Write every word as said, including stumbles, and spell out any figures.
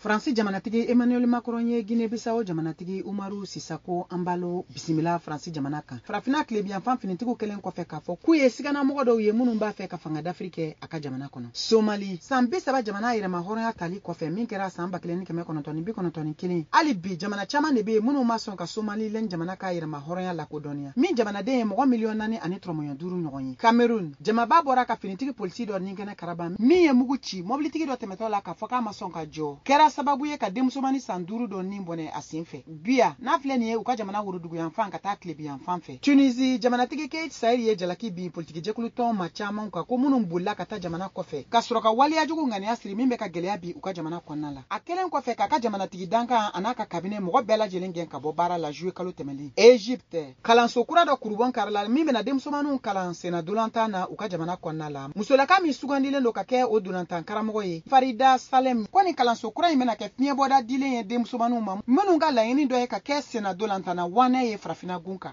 Faransi jamanatigi Emmanuel Macron ye Guinée Bissau jamanatigi Umaru Sisako Embalo bisimila Faransi jamana kan. Farafinna tilebiyanfan finitigiw kɛlen kɔfɛ k'a fɔ k'u ye siganamɔgɔ dɔw ye minnu b'a fɛ ka fanga dafiri kɛ a ka jamana kɔnɔ. Somali, san bi saba jamana yɛrɛma hɔrɔnya tali kɔfɛ min kɛra san ba kelen ni kɛmɛ kɔnɔntɔn ni bi kɔnɔntɔn ni kelen, hali bi jamana caman de bɛ yen minnu ma sɔn ka Somaliland jamana ka yɛrɛma hɔrɔnya lakodɔnniya, min jamanaden ye mɔgɔ miliyɔn naani ani tɔrɔmɔɲɔ duuru ɲɔgɔn ye. Cameroun, jamaba bɔra ka finitigi polisi dɔ ni kɛnɛ karaba min ye mugu ci mɔbilitigi dɔ tɛmɛtɔ la k'a fɔ k'a ma sɔn ka jɔ, kɛra sababu ye ka denmusomani san duuru dɔ nin bɔnɛ a sen fɛ Biya n'a filɛ nin ye u ka jamana woroduguyanfan ka taa tilebiyanfan fɛ. Tunisi jamanatigi Kais Saied ye jalaki bin politikijɛkulu tɔn ma caman kan ko minnu bolila ka taa jamana kɔfɛ ka sɔrɔ ka waleyajugu ŋaniya siri min bɛ ka gɛlɛya bi u ka jamana kɔnɔna la, a kɛlen kɔfɛ k'a ka jamanatigi dankan a n'a ka kabinɛ mɔgɔ bɛɛ lajɛlen gɛn ka bɔ baara la juillet kalo tɛmɛlen. Egypte, kalanso kura dɔ kurubɔn karila min bɛna denmusomaninw kalan senna dolantan na u ka jamana kɔnɔna la. Musolaka min sugandilen don ka kɛ o dolantan karamɔgɔ ye, Farida Salem, ko nin kalanso kura in bɛna kɛ fiɲɛbɔda dilen ye denmusomaninw ma minnu ka laɲini dɔ ye ka kɛ senna dolantanna wanɛ ye farafinna gun kan.